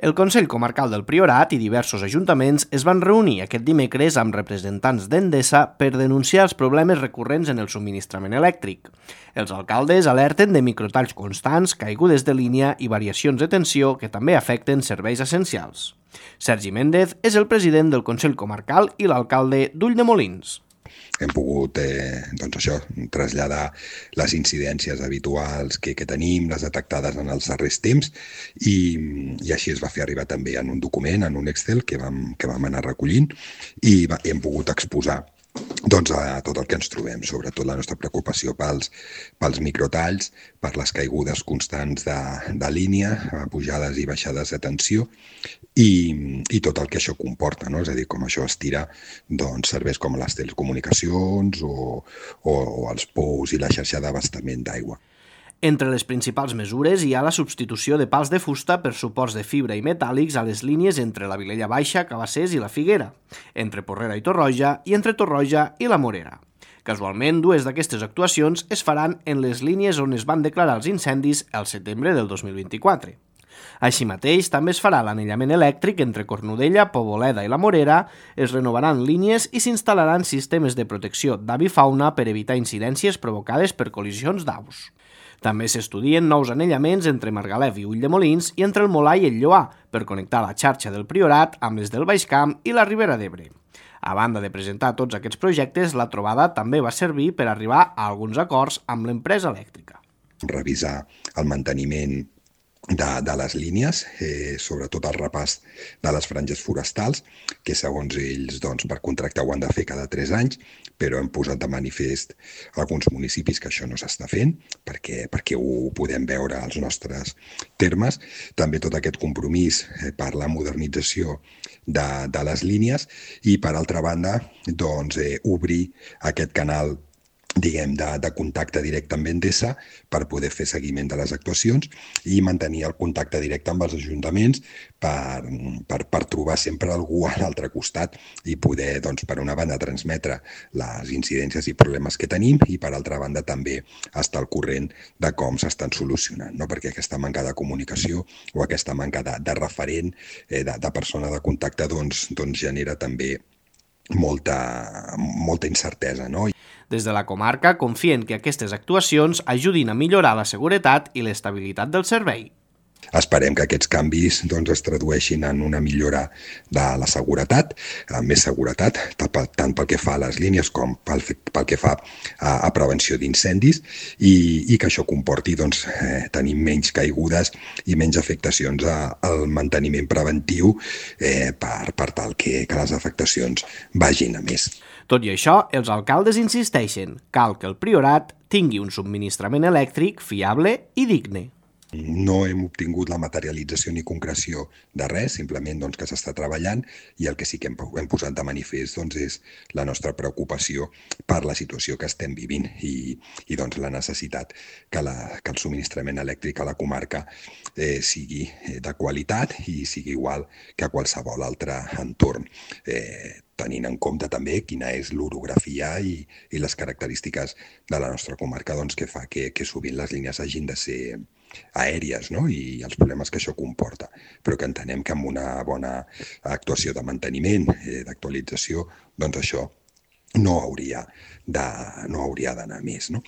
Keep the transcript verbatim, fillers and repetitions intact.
El Consell Comarcal del Priorat i diversos ajuntaments es van reunir aquest dimecres amb representants d'Endesa per denunciar els problemes recurrents en el subministrament elèctric. Els alcaldes alerten de microtalls constants, caigudes de línia i variacions de tensió que també afecten serveis essencials. Sergi Méndez és el president del Consell Comarcal i l'alcalde d'Ulldemolins. Hem pogut eh, doncs això, traslladar les incidències habituals que, que tenim, les detectades en els darrers temps, i, i així es va fer arribar també en un document, en un Excel que vam, que vam anar recollint, i, va, i hem pogut exposar doncs, a tot el que ens trobem, sobretot la nostra preocupació pels, pels microtalls, per les caigudes constants de, de línia, pujades i baixades de tensió, i, i tot el que això comporta, no? És a dir, com això estira doncs, serveis com les telecomunicacions o, o, o els pous i la xarxa d'abastament d'aigua. Entre les principals mesures hi ha la substitució de pals de fusta per suports de fibra i metàl·lics a les línies entre la Vilella Baixa, Cabassers i la Figuera, entre Porrera i Torroja i entre Torroja i la Morera. Casualment, dues d'aquestes actuacions es faran en les línies on es van declarar els incendis el setembre del dos mil vint-i-quatre. Així mateix, també es farà l'anellament elèctric entre Cornudella, Poboleda i la Morera, es renovaran línies i s'instal·laran sistemes de protecció d'avifauna per evitar incidències provocades per col·lisions d'aus. També s'estudien nous anellaments entre Margalef i Ulldemolins i entre el Molar i el Lloar per connectar la xarxa del Priorat amb les del Baix Camp i la Ribera d'Ebre. A banda de presentar tots aquests projectes, la trobada també va servir per arribar a alguns acords amb l'empresa elèctrica. Revisar el manteniment De, de les línies, eh, sobretot el repàs de les franges forestals, que segons ells doncs, per contracte ho han de fer cada tres anys, però hem posat de manifest alguns municipis que això no s'està fent, perquè, perquè ho podem veure als nostres termes. També tot aquest compromís eh, per la modernització de, de les línies i, per altra banda, doncs, eh, obrir aquest canal diguem, de, de contacte directe amb Endesa per poder fer seguiment de les actuacions i mantenir el contacte directe amb els ajuntaments per, per, per trobar sempre algú a l'altre costat i poder, doncs, per una banda, transmetre les incidències i problemes que tenim i, per altra banda, també estar al corrent de com s'estan solucionant, no? Perquè aquesta manca de comunicació o aquesta manca de, de referent, eh, de, de persona de contacte, doncs, doncs genera també molta, molta incertesa, no? Des de la comarca confien que aquestes actuacions ajudin a millorar la seguretat i l'estabilitat del servei. Esperem que aquests canvis doncs, es tradueixin en una millora de la seguretat, amb més seguretat, tant pel que fa a les línies com pel, pel que fa a, a prevenció d'incendis i, i que això comporti doncs, eh, tenir menys caigudes i menys afectacions a, al manteniment preventiu eh, per, per tal que, que les afectacions vagin a més. Tot i això, els alcaldes insisteixen, cal que el Priorat tingui un subministrament elèctric fiable i digne. No hem obtingut la materialització ni concreció de res, simplement doncs, que s'està treballant i el que sí que hem, hem posat de manifest doncs, és la nostra preocupació per la situació que estem vivint i, i doncs, la necessitat que, la, que el subministrament elèctric a la comarca eh, sigui de qualitat i sigui igual que a qualsevol altre entorn. Eh, tenint en compte també quina és l'orografia i, i les característiques de la nostra comarca doncs, que fa que, que sovint les línies hagin de ser aèries, no? I els problemes que això comporta, però que entenem que amb una bona actuació de manteniment, eh, d'actualització, doncs això no hauria de, no hauria d'anar més, no?